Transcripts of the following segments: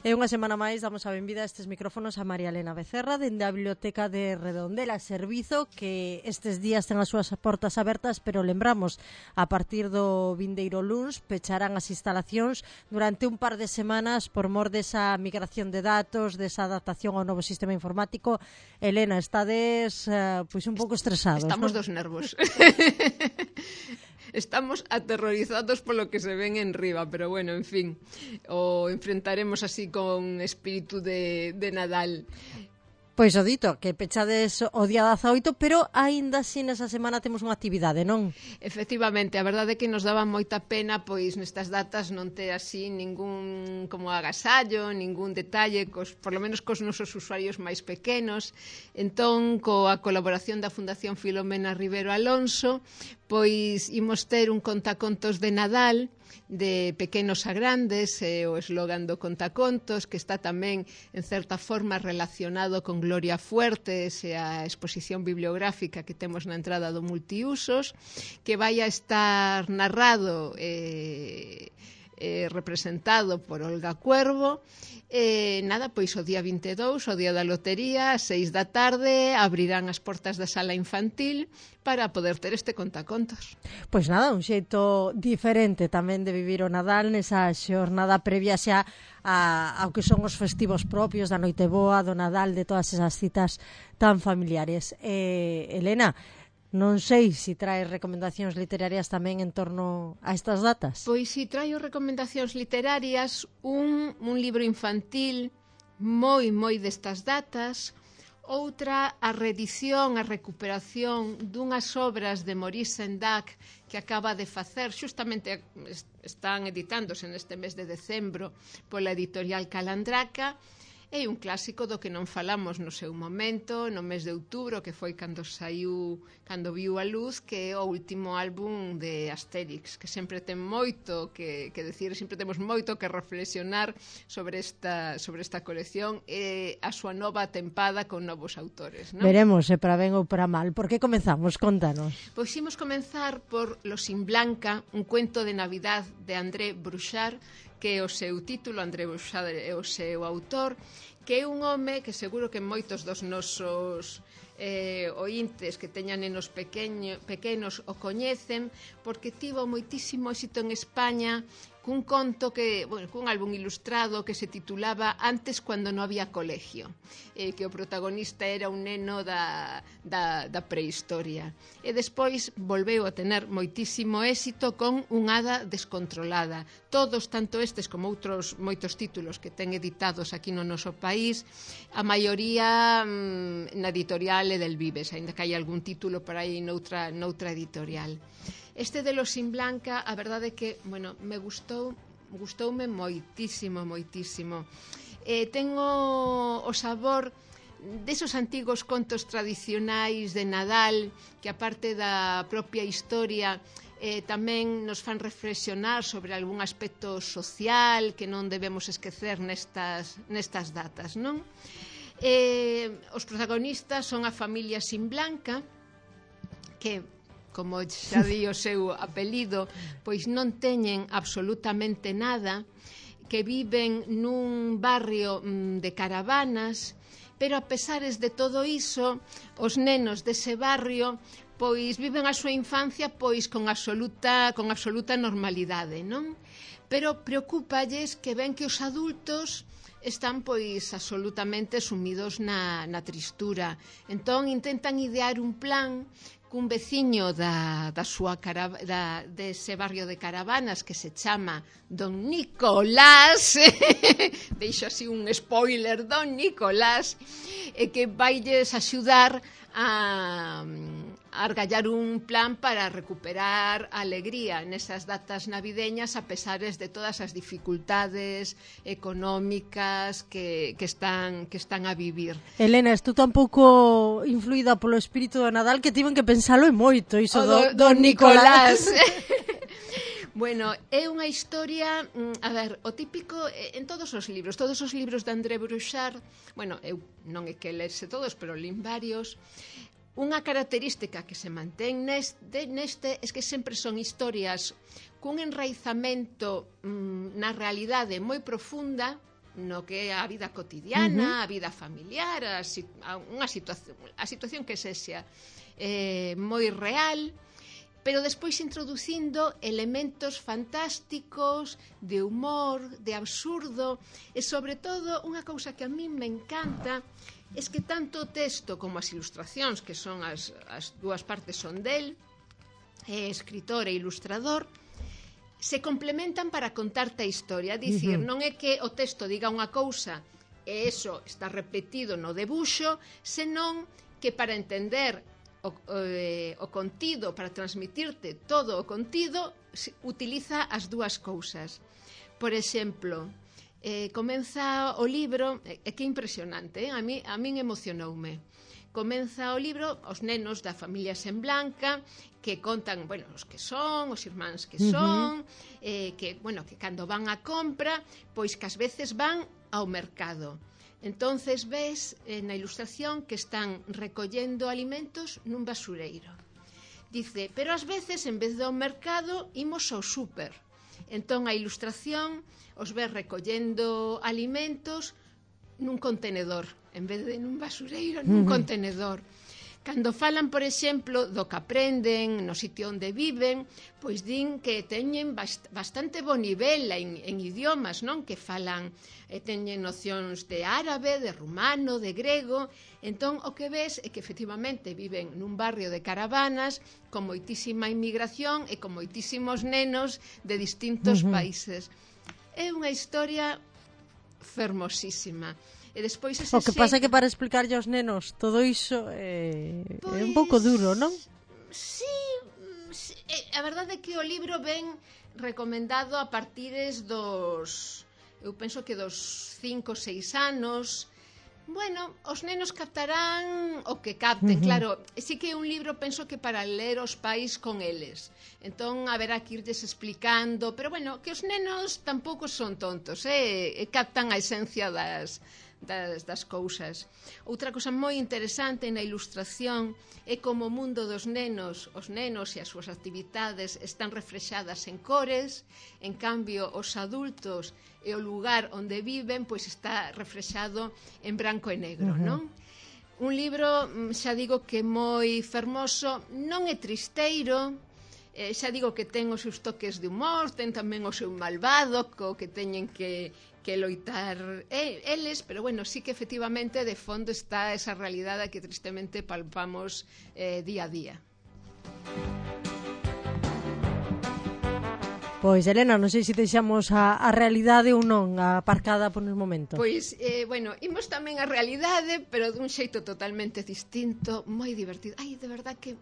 E unha semana máis damos a benvida a estes micrófonos a María Elena Becerra dende a Biblioteca de Redondela, servizo que estes días ten as súas portas abertas, pero lembramos, a partir do vindeiro luns pecharán as instalacións durante un par de semanas por mor desa migración de datos, desa adaptación ao novo sistema informático. Elena, estades pois un pouco estresados, Estamos non? dos nervos. Estamos aterrorizados polo que se ven en riba, pero bueno, en fin, o enfrentaremos así con espírito de Nadal. Pois o dito, que pechades o día 18, pero aínda así nesa semana temos unha actividade, non? Efectivamente, a verdade é que nos daba moita pena pois nestas datas non ter así ningún como agasallo, ningún detalle, por lo menos cos nosos usuarios máis pequenos. Entón, coa colaboración da Fundación Filomena Rivero Alonso, pois imos ter un contacontos de Nadal, de pequenos a grandes, o eslogan do contacontos, que está tamén, en certa forma, relacionado con Gloria Fuertes e a exposición bibliográfica que temos na entrada do Multiusos, que vai a estar narrado representado por Olga Cuervo. Nada, pois o día 22, o día da lotería, ás 6 da tarde, abrirán as portas da sala infantil para poder ter este contacontos. Pois nada, un xeito diferente tamén de vivir o Nadal nesa xornada previa xa ao que son os festivos propios da Noiteboa, do Nadal, de todas esas citas tan familiares. Elena, non sei se traes recomendacións literarias tamén en torno a estas datas. Pois si traio recomendacións literarias, un libro infantil moi destas datas, outra a reedición, a recuperación dunhas obras de Maurice Sendak que acaba de facer, xustamente están editándose neste mes de decembro pola editorial Calandraca. É un clásico do que non falamos no seu momento, no mes de outubro, que foi cando viu a luz, que é o último álbum de Asterix, que sempre ten moito que decir, sempre temos moito que reflexionar sobre esta colección e a súa nova tempada con novos autores, non? Veremos se para ben ou para mal. Por que comezamos? Contanos. Pois imos comenzar por Los Sin Blanca, un cuento de Navidad de André Bruchard, que é o seu título. André Bruchard é o seu autor, que é un home que seguro que moitos dos nosos ointes que teñan nenos pequenos o coñecen, porque tivo moitísimo éxito en España cun conto cun álbum ilustrado que se titulaba Antes cuando no había colegio, que o protagonista era un neno da prehistoria. E despois volveu a tener moitísimo éxito con Un hada descontrolada. Todos, tanto estes como outros moitos títulos que ten editados aquí no noso país, a maioría na editorial Edelvives, aínda que hai algún título por aí noutra editorial. Este de Los Sin Blanca, a verdade é que, me gustoume moitísimo. Ten o sabor desos antigos contos tradicionais de Nadal, que aparte da propia historia tamén nos fan reflexionar sobre algún aspecto social que non debemos esquecer nestas datas, non? Os protagonistas son a familia Sin Blanca, que, como xa di o seu apelido, pois non teñen absolutamente nada, que viven nun barrio de caravanas, pero a pesares de todo iso, os nenos dese barrio pois viven a súa infancia pois con absoluta normalidade, non? Pero preocúpalles que ven que os adultos están pois absolutamente sumidos na tristura. Entón intentan idear un plan cun veciño dese barrio de caravanas que se chama Don Nicolás, deixo así un spoiler, Don Nicolás, que vailles axudar a argallar un plan para recuperar a alegría nesas datas navideñas a pesares de todas as dificultades económicas que están a vivir. Elena, estou tan pouco influída polo espírito do Nadal que tiven que pensalo moito iso do Nicolás. Bueno, é unha historia, a ver, o típico en todos os libros de André Bruchard, eu non é que lese todos, pero lin varios. Unha característica que se mantén neste é que sempre son historias cun enraizamento na realidade moi profunda, no que é a vida cotidiana, a vida familiar, a situación que sexa moi real, pero despois introducindo elementos fantásticos, de humor, de absurdo, e sobre todo unha cousa que a min me encanta é que tanto o texto como as ilustracións, que son as dúas partes son del, escritor e ilustrador, se complementan para contarte a historia. Dicir, non é que o texto diga unha cousa e eso está repetido no debuxo, senón que para entender o contido, para transmitirte todo o contido, utiliza as dúas cousas. Por exemplo, comeza o libro, que é impresionante, a min emocionoume. Comeza o libro os nenos da familia Semblanca, que contan, bueno, os que son, os irmáns que son, que cando van á compra, pois que ás veces van ao mercado. Entonces ves na ilustración que están recollendo alimentos nun basureiro. Dice, pero ás veces en vez do mercado imos ao súper. Entón a ilustración os ves recollendo alimentos nun contenedor, en vez de nun basureiro, nun contenedor. Cando falan, por exemplo, do que aprenden no sitio onde viven, pois din que teñen bastante bo nivel en idiomas, non? Que falan, teñen nocións de árabe, de rumano, de grego. Entón, o que ves é que efectivamente viven nun barrio de caravanas con moitísima inmigración e con moitísimos nenos de distintos países. É unha historia fermosísima. E despois o que pasa é que para explicarlle aos nenos todo iso é un pouco duro, non? Sí, a verdade é que o libro ven recomendado a partires dos, eu penso que dos 5 ou 6 anos. Bueno, os nenos captarán o que capten, claro, sí que é un libro, penso que para ler os pais con eles. Entón, haberá que irles explicando, pero bueno, que os nenos tampouco son tontos, captan a esencia das cousas. Outra cousa moi interesante na ilustración é como o mundo dos nenos, os nenos e as súas actividades están reflexadas en cores, en cambio os adultos e o lugar onde viven pois está reflexado en branco e negro, non? Un libro, xa digo que moi fermoso, non é tristeiro, xa digo que ten os seus toques de humor, ten tamén o seu malvado, co que teñen que loitar eles, pero bueno, sí que efectivamente de fondo está esa realidade que tristemente palpamos día a día. Pois, Elena, non sei se deixamos a realidade ou non aparcada por un momento. Pois, bueno, imos tamén a realidade, pero dun xeito totalmente distinto, moi divertido. Ai, de verdad que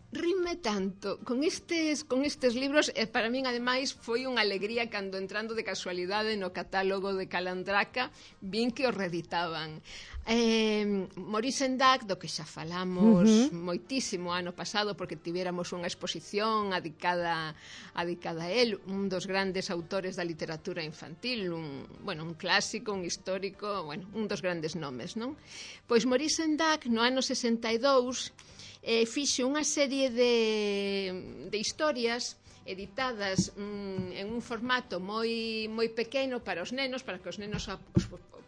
rime tanto con estes libros, e para min ademais foi unha alegría cando entrando de casualidade no catálogo de Calandraca vin que o reeditaban. Maurice Sendak, do que xa falamos moitísimo ano pasado, porque tivéramos unha exposición dedicada a él, un dos grandes autores da literatura infantil, un clásico, un histórico, un dos grandes nomes, non? Pois Maurice Sendak no ano 62 fixo unha serie de historias editadas en un formato moi pequeno para os nenos, para que os nenos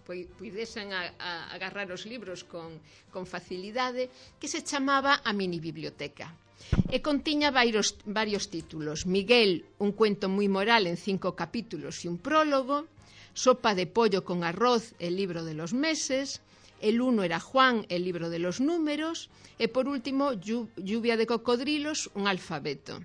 puidesen agarrar os libros con facilidade, que se chamaba A Mini Biblioteca. E contiña varios títulos. Miguel, un cuento moi moral en 5 capítulos e un prólogo. Sopa de pollo con arroz, el libro de los meses. El uno era Juan, el libro de los números, e por último, Lluvia de cocodrilos, un alfabeto.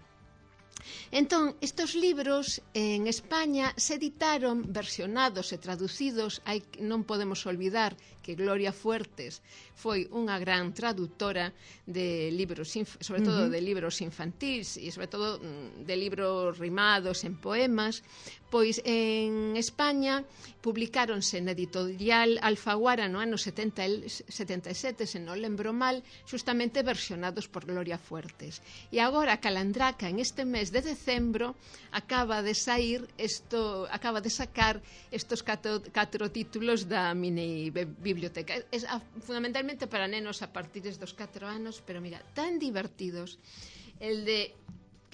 Entón, estos libros en España se editaron versionados e traducidos. Non podemos olvidar que Gloria Fuertes foi unha gran traductora de libros, sobre todo de libros infantis e sobre todo de libros rimados en poemas. Pois en España publicáronse na editorial Alfaguara no ano 77, se non lembro mal, justamente versionados por Gloria Fuertes. E agora Calandraca, en este mes de decembro, acaba de sacar estos 4 títulos da mini biblioteca. Es fundamentalmente para nenos a partir dos 4 anos, pero mira, tan divertidos. El de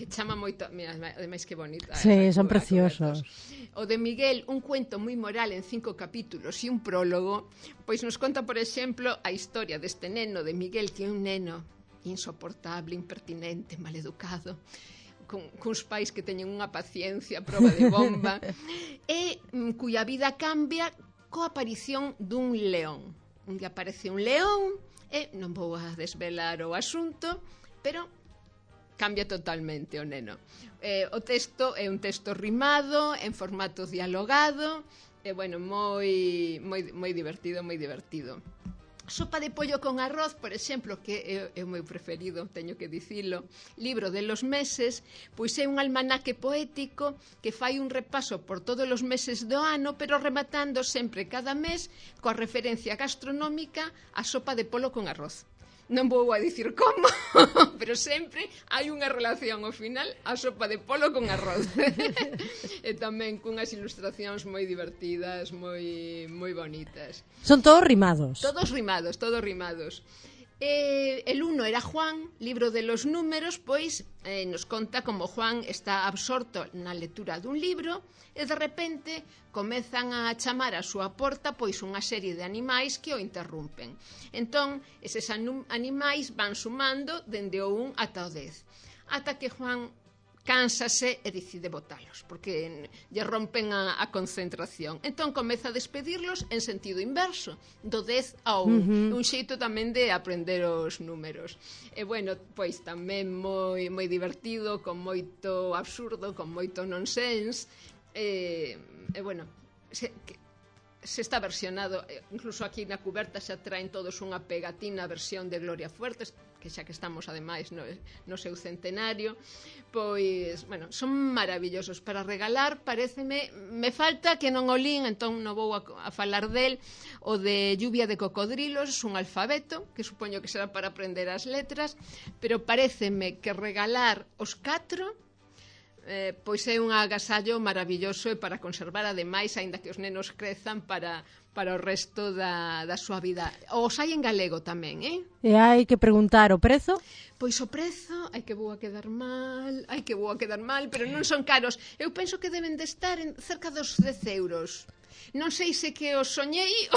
que chama moito, mira, ademais que bonita. Sí, son preciosos. O de Miguel, un cuento moi moral en 5 capítulos e un prólogo, pois nos conta, por exemplo, a historia deste neno de Miguel, que é un neno insoportable, impertinente, maleducado, cuns pais que teñen unha paciencia a prova de bomba, e cuya vida cambia coa aparición dun león. Un día aparece un león, e non vou a desvelar o asunto, pero cambia totalmente o neno. O texto é un texto rimado, en formato dialogado, e, bueno, moi divertido, moi divertido. Sopa de pollo con arroz, por exemplo, que é o meu preferido, teño que dicilo, libro de los meses, pois é un almanaque poético que fai un repaso por todos os meses do ano, pero rematando sempre cada mes coa referencia gastronómica a sopa de polo con arroz. Non vou a dicir como, pero sempre hai unha relación ao final a sopa de polo con arroz. E tamén cunhas ilustracións moi divertidas, moi bonitas. Son todos rimados. Todos rimados, todos rimados. El uno era Juan, libro de los números, pois nos conta como Juan está absorto na lectura dun libro e de repente comezan a chamar a súa porta pois unha serie de animais que o interrompen. Entón, eses animais van sumando dende o 1 ata o 10, ata que Juan cánsase e decide botalos, porque lle rompen a concentración. Entón comeza a despedirlos en sentido inverso, do 10 ao 1, un xeito tamén de aprender os números. E, bueno, pois tamén moi divertido, con moito absurdo, con moito nonsense, e bueno, se está versionado, incluso aquí na cuberta xa traen todos unha pegatina versión de Gloria Fuertes, que xa que estamos ademais no seu centenario, pois, bueno, son maravillosos para regalar. Paréceme, me falta que non o lín, entón non vou a falar del, o de Lluvia de cocodrilos, un alfabeto, que supoño que será para aprender as letras, pero paréceme que regalar os 4 pois é un agasallo maravilloso e para conservar ademais, aínda que os nenos crezan, para o resto da súa vida. Os hai en galego tamén, E hai que preguntar o prezo? Pois o prezo, hai que vou a quedar mal, pero non son caros. Eu penso que deben de estar en cerca dos 10 euros. Non sei se que os soñei,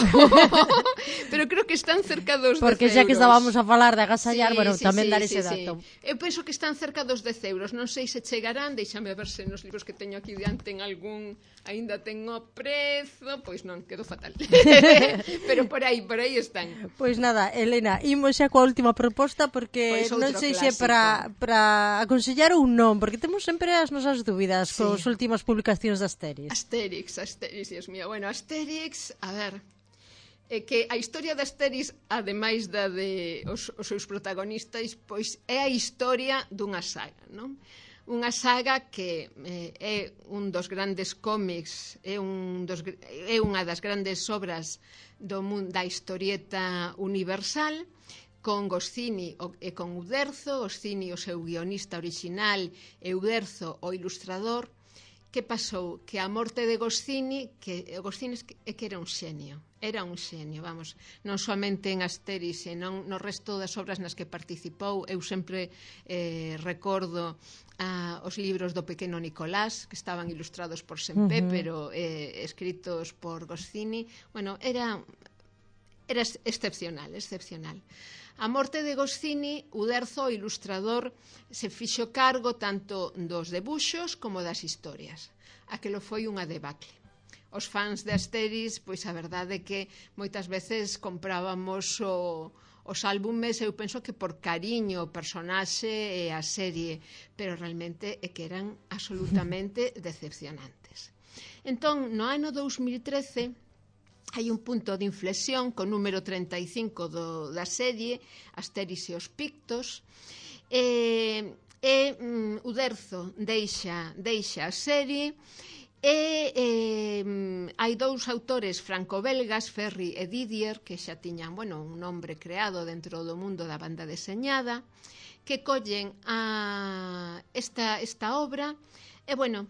pero creo que están cerca dos 10 euros. Porque xa que estábamos a falar de agasallar, bueno, tamén dar ese dato. Eu penso que están cerca dos 10 euros. Non sei se chegarán, deixame ver se nos libros que teño aquí diante en algún aínda tengo prezo, pois non, quedo fatal. Pero por aí están. Pois nada, Elena, imos xa coa última proposta, porque non sei se para aconsellar ou non, porque temos sempre as nosas dúbidas cos últimas publicacións de Asterix. Asterix, Dios mío. Bueno, Asterix, a ver, que a historia de Asterix, ademais da de os seus protagonistas, pois é a historia dunha saga, non? Unha saga que é un dos grandes cómics, é unha das grandes obras do mundo da historieta universal, con Goscinny e con Uderzo, Goscinny o seu guionista original e Uderzo o ilustrador. Que pasou? Que a morte de Goscinny, que era un xenio, vamos, non somente en Asterix, senón no resto das obras nas que participou. Eu sempre recordo os libros do pequeno Nicolás, que estaban ilustrados por Sempé, pero escritos por Goscinny. Bueno, era excepcional. A morte de Goscinny, Uderzo, o ilustrador, se fixo cargo tanto dos debuxos como das historias. Aquelo foi unha debacle. Os fans de Asterix, pois a verdade é que moitas veces comprábamos os álbumes, eu penso que por cariño ao personaxe e a serie, pero realmente é que eran absolutamente decepcionantes. Entón, no ano 2013, hai un punto de inflexión co número 35 da serie, Asterix e os Pictos, e Uderzo deixa a serie, e hai dous autores franco-belgas, Ferri e Didier, que xa tiñan, bueno, un nombre creado dentro do mundo da banda deseñada, que collen esta obra e, bueno,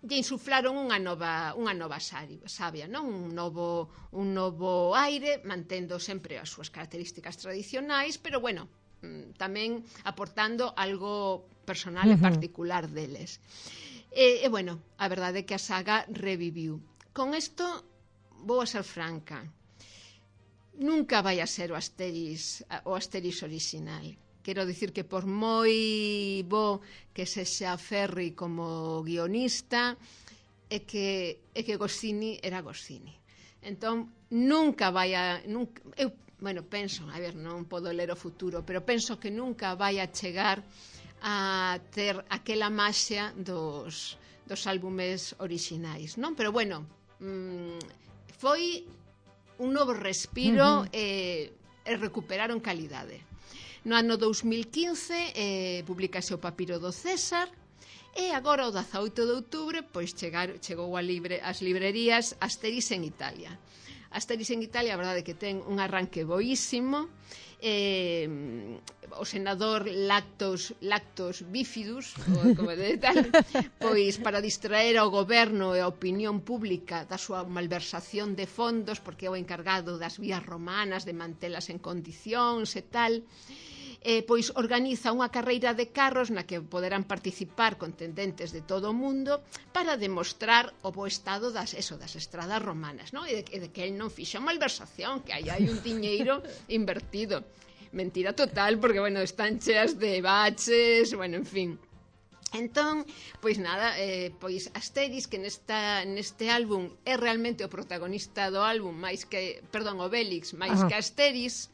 lle insuflaron unha nova sabia, non? Un novo aire, mantendo sempre as súas características tradicionais, pero, bueno, tamén aportando algo personal e particular deles. E bueno, a verdade é que a saga reviviu. Con isto vou a ser franca, nunca vai a ser o Asterix orixinal. Quero dicir que por moi bo que sexa Ferri como guionista, é que Goscinny era Goscinny. Entón, nunca vai a... eu, penso, a ver, non podo ler o futuro, pero penso que nunca vai a chegar a ter aquela maxia dos álbumes orixinais, non? Pero bueno, foi un novo respiro e recuperaron calidade. No ano 2015 publicase o Papiro do César e agora o 18 de outubro pois chegou ás librerías Asterix en Italia. Asterix en Italia, a verdade é que ten un arranque boísimo. O senador Lactos Bifidus, como de tal, pois para distraer ao goberno e a opinión pública da súa malversación de fondos, porque é o encargado das vías romanas de mantelas en condicións e tal, pois organiza unha carreira de carros na que poderán participar contendentes de todo o mundo para demostrar o bo estado das estradas romanas, non? E de que el non fixo malversación, que aí hai un diñeiro invertido. Mentira total, porque, bueno, están cheas de baches, bueno, en fin. Entón, pois nada, pois Asterix, que neste álbum é realmente o protagonista do álbum, Obélix, máis que Asterix,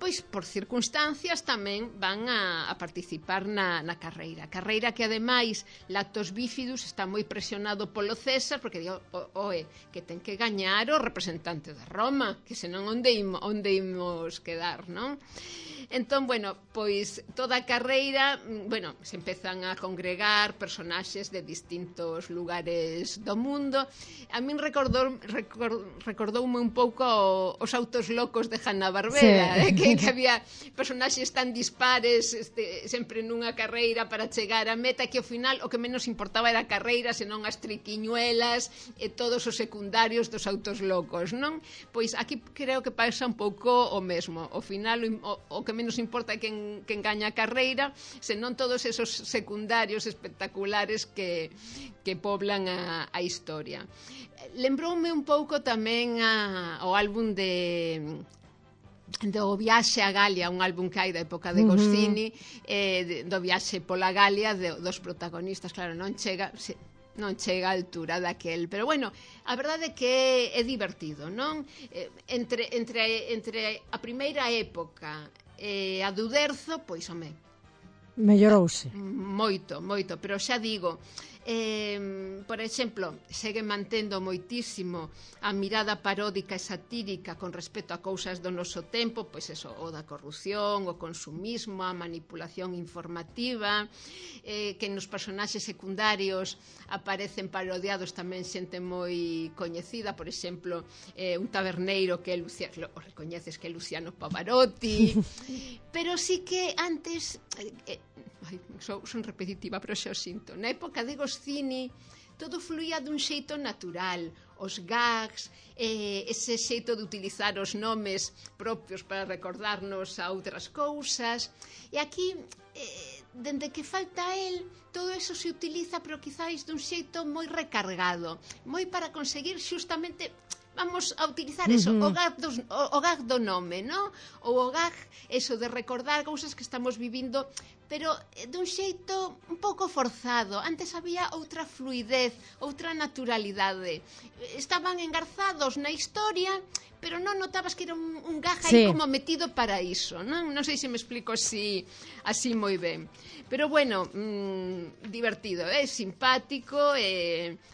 pois por circunstancias tamén van a participar na carreira que ademais Lactos Bifidus está moi presionado polo César porque digo, que ten que gañar o representante de Roma, que senón onde imos quedar, non? Entón, bueno, pois toda a carreira, bueno, se empezan a congregar personaxes de distintos lugares do mundo. A min recordoume un pouco os autos locos de Hanna-Barbera, que había personaxes tan dispares sempre nunha carreira para chegar á meta, que ao final o que menos importaba era a carreira, senón as triquiñuelas e todos os secundarios dos autos locos, non? Pois aquí creo que pasa un pouco o mesmo. Ao final o que menos importa é quen gaña a carreira, senón todos esos secundarios espectaculares que poblan a historia. Lembroume un pouco tamén o álbum do Viaxe a Galia, un álbum que hai da época de Goscinny, do viaxe pola Galia dos protagonistas. Claro, non chega á altura daquel, pero bueno, a verdade é que é divertido, non? Entre a primeira época e a do Derzo, pois, home, mellorouse moito, pero xa digo, por exemplo, segue mantendo moitísimo a mirada paródica e satírica con respecto a cousas do noso tempo, pois eso, o da corrupción, o consumismo, a manipulación informativa, que nos personaxes secundarios aparecen parodiados tamén xente moi coñecida, por exemplo, un taberneiro que o recoñeces que é Luciano Pavarotti, pero sí que antes... son repetitiva, pero xa o sinto. Na época de Goscinny todo fluía dun xeito natural, os gags, ese xeito de utilizar os nomes propios para recordarnos a outras cousas, e aquí dende que falta el todo eso se utiliza, pero quizáis dun xeito moi recargado, moi para conseguir xustamente... Vamos a utilizar eso, o gag do nome, ¿no? Ou o gag, eso de recordar cousas que estamos vivindo, pero dun xeito un pouco forzado. Antes había outra fluidez, outra naturalidade. Estaban engarzados na historia, pero non notabas que era un gag aí como metido para iso, non? Non sei se me explico así moi ben. Pero bueno, divertido, simpático,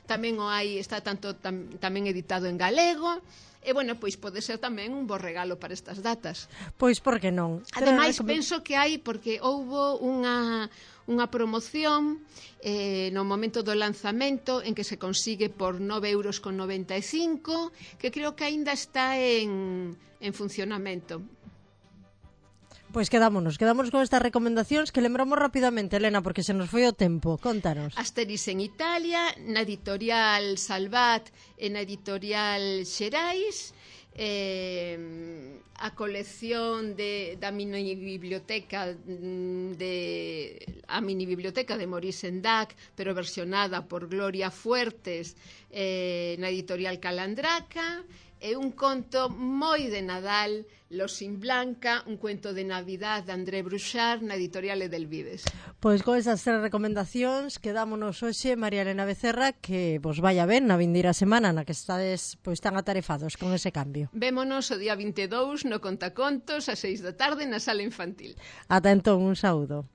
tamén o hai, está tamén editado en galego, e bueno, pois pode ser tamén un bo regalo para estas datas. Pois por que non? Ademais, penso que hai, porque houbo unha promoción no momento do lanzamento en que se consigue por 9,95 €, que creo que aínda está en funcionamento. Pois quedámonos con estas recomendacións que lembramos rapidamente, Elena, porque se nos foi o tempo. Contanos. Asterix en Italia, na editorial Salvat e na editorial Xerais. A colección da mini biblioteca de Maurice Sendak, pero versionada por Gloria Fuertes na editorial Calandraca, e un conto moi de Nadal, Los sin Blanca, un cuento de Navidad de André Bruchard na editorial Edelvives. Pois con esas 3 recomendacións quedámonos hoxe, María Elena Becerra, que vos vaya ben na vindeira semana na que estades pois tan atarefados con ese cambio. Vémonos o día 22 no Contacontos a 6 da tarde na sala infantil. Ata entón, un saúdo.